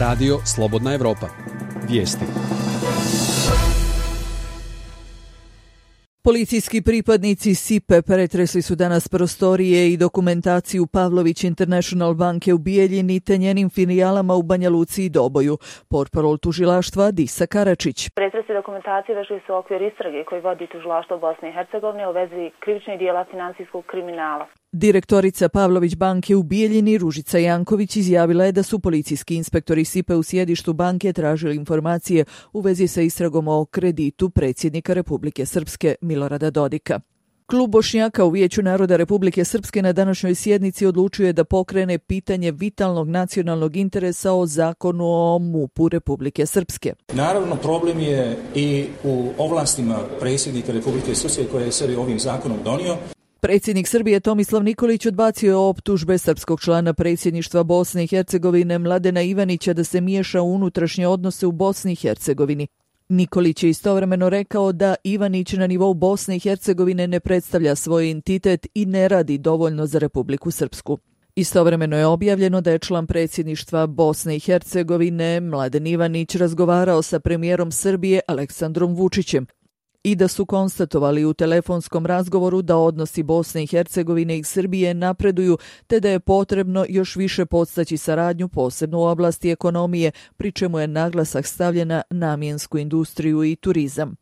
Radio Slobodna Evropa. Vijesti. Policijski pripadnici SIPE pretresli su danas prostorije i dokumentaciju Pavlović International banke u Bijeljini te njenim filijalama u Banja Luci i Doboju. Portparol tužilaštva Disa Karačić. Pretresi dokumentacije vešli su u okvir istrage koji vodi tužilaštvo Bosne i Hercegovine u vezi krivičnih dijela finansijskog kriminala. Direktorica Pavlović banke u Bijeljini, Ružica Janković, izjavila je da su policijski inspektori SIPE u sjedištu banke tražili informacije u vezi sa istragom o kreditu predsjednika Republike Srpske Milorada Dodika. Klub Bošnjaka u Vijeću naroda Republike Srpske na današnjoj sjednici odlučio je da pokrene pitanje vitalnog nacionalnog interesa o zakonu o MUP-u Republike Srpske. Naravno, problem je i u ovlastima predsjednika Republike Srpske koje je sebi ovim zakonom donio. Predsjednik Srbije Tomislav Nikolić odbacio je optužbe srpskog člana predsjedništva Bosne i Hercegovine Mladena Ivanića da se miješa u unutrašnje odnose u Bosni i Hercegovini. Nikolić je istovremeno rekao da Ivanić na nivou Bosne i Hercegovine ne predstavlja svoj entitet i ne radi dovoljno za Republiku Srpsku. Istovremeno je objavljeno da je član predsjedništva Bosne i Hercegovine Mladen Ivanić razgovarao sa premijerom Srbije Aleksandrom Vučićem i da su konstatovali u telefonskom razgovoru da odnosi Bosne i Hercegovine i Srbije napreduju, te da je potrebno još više podstaći saradnju, posebno u oblasti ekonomije, pri čemu je naglasak stavljen na namjensku industriju i turizam.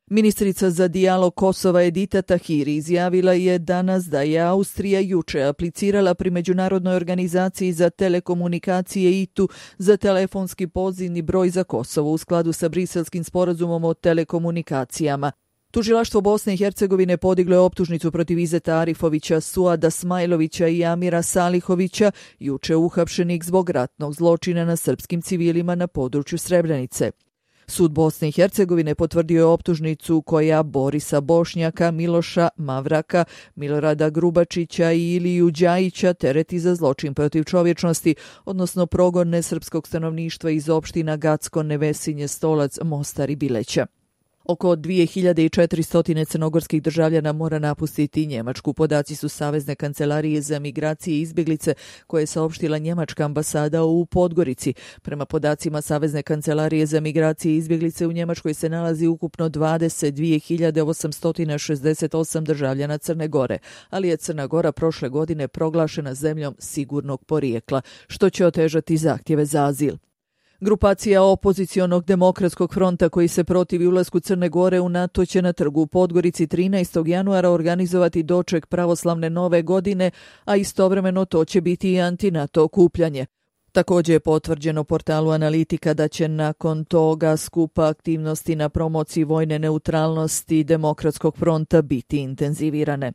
Ministrica za dijalog Kosova Edita Tahiri izjavila je danas da je Austrija juče aplicirala pri Međunarodnoj organizaciji za telekomunikacije ITU za telefonski pozivni broj za Kosovo u skladu sa Briselskim sporazumom o telekomunikacijama. Tužilaštvo Bosne i Hercegovine podiglo je optužnicu protiv Izeta Arifovića, Suada Smajlovića i Amira Salihovića, juče uhapšenih zbog ratnog zločina na srpskim civilima na području Srebrenice. Sud Bosne i Hercegovine potvrdio je optužnicu koja Borisa Bošnjaka, Miloša Mavraka, Milorada Grubačića i Iliju Đajića tereti za zločin protiv čovječnosti, odnosno progon nesrpskog stanovništva iz opština Gacko, Nevesinje, Stolac, Mostar i Bileća. Oko 2400 crnogorskih državljana mora napustiti Njemačku. Podaci su Savezne kancelarije za migracije i izbjeglice koje je saopštila njemačka ambasada u Podgorici. Prema podacima Savezne kancelarije za migracije i izbjeglice u Njemačkoj se nalazi ukupno 22.868 državljana Crne Gore, ali je Crna Gora prošle godine proglašena zemljom sigurnog porijekla, što će otežati zahtjeve za azil. Grupacija opozicionog demokratskog fronta koji se protivi ulasku Crne Gore u NATO će na trgu u Podgorici 13. januara organizovati doček pravoslavne nove godine, a istovremeno to će biti i anti-NATO okupljanje. Također je potvrđeno portalu Analitika da će nakon toga skupa aktivnosti na promociji vojne neutralnosti demokratskog fronta biti intenzivirane.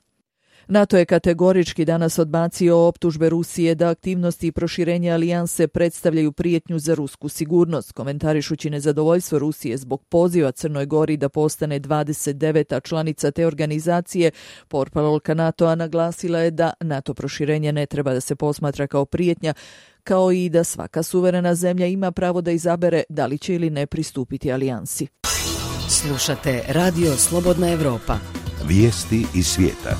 NATO je kategorički danas odbacio optužbe Rusije da aktivnosti i proširenje alijanse predstavljaju prijetnju za rusku sigurnost, komentarišući nezadovoljstvo Rusije zbog poziva Crnoj Gori da postane 29. članica te organizacije. Portparolka NATO-a naglasila je da NATO proširenje ne treba da se posmatra kao prijetnja, kao i da svaka suverena zemlja ima pravo da izabere da li će ili ne pristupiti alijansi. Slušate Radio Slobodna Evropa. Vijesti iz svijeta.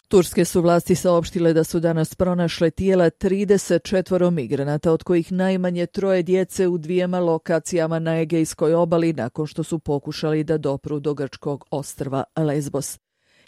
Turske su vlasti saopštile da su danas pronašle tijela 34 migranata, od kojih najmanje 3 djece u 2 lokacijama na Egejskoj obali nakon što su pokušali da dopru do grčkog ostrva Lesbos.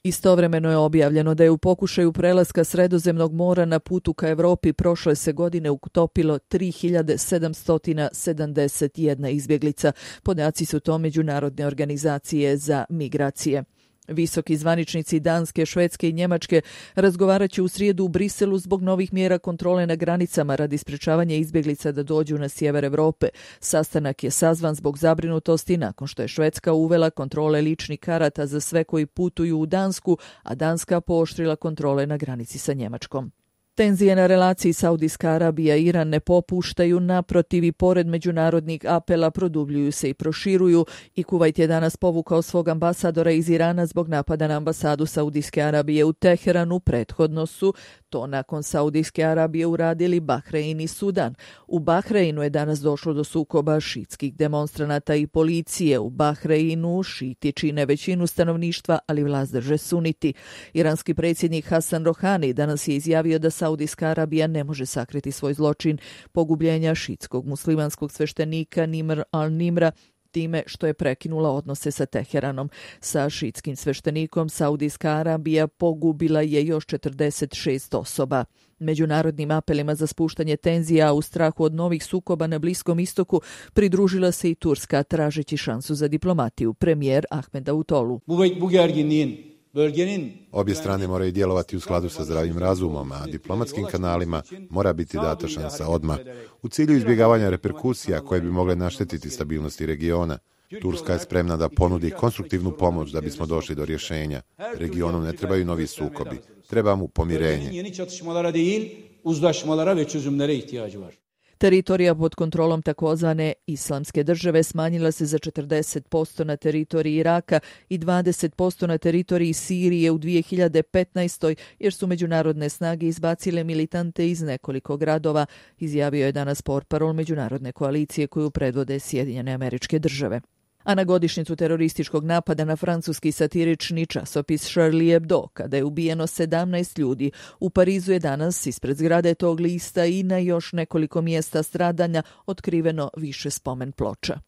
Istovremeno je objavljeno da je u pokušaju prelaska Sredozemnog mora na putu ka Evropi prošle se godine utopilo 3771 izbjeglica. Podaci su to Međunarodne organizacije za migracije. Visoki zvaničnici Danske, Švedske i Njemačke razgovarat će u srijedu u Briselu zbog novih mjera kontrole na granicama radi sprečavanja izbjeglica da dođu na sjever Evrope. Sastanak je sazvan zbog zabrinutosti nakon što je Švedska uvela kontrole ličnih karata za sve koji putuju u Dansku, a Danska pooštrila kontrole na granici sa Njemačkom. Tenzije na relaciji Saudijska Arabija i Iran ne popuštaju, naprotiv i pored međunarodnih apela produbljuju se i proširuju i Kuvajt je danas povukao svog ambasadora iz Irana zbog napada na ambasadu Saudijske Arabije u Teheranu. Prethodno su to nakon Saudijske Arabije uradili Bahrein i Sudan. U Bahreinu je danas došlo do sukoba šitskih demonstranata i policije. U Bahreinu šiti čine većinu stanovništva, ali vlast drže suniti. Iranski predsjednik Hasan Rohani danas je izjavio da Saudijska Arabija ne može sakriti svoj zločin pogubljenja šitskog muslimanskog sveštenika Nimr al-Nimra time što je prekinula odnose sa Teheranom. Sa šitskim sveštenikom Saudijska Arabija pogubila je još 46 osoba. Međunarodnim apelima za spuštanje tenzija u strahu od novih sukoba na Bliskom istoku pridružila se i Turska tražeći šansu za diplomatiju. Premijer Ahmed Davutoglu. Obje strane moraju djelovati u skladu sa zdravim razumom, a diplomatskim kanalima mora biti data šansa odmah, u cilju izbjegavanja reperkusija koje bi mogle naštetiti stabilnosti regiona. Turska je spremna da ponudi konstruktivnu pomoć da bismo došli do rješenja. Regionu ne trebaju novi sukobi, treba mu pomirenje. Teritorija pod kontrolom takozvane Islamske države smanjila se za 40% na teritoriji Iraka i 20% na teritoriji Sirije u 2015. jer su međunarodne snage izbacile militante iz nekoliko gradova, izjavio je danas portparol međunarodne koalicije koju predvode Sjedinjene Američke Države. A na godišnjicu terorističkog napada na francuski satirični časopis Charlie Hebdo, kada je ubijeno 17 ljudi, u Parizu je danas ispred zgrade tog lista i na još nekoliko mjesta stradanja otkriveno više spomen ploča.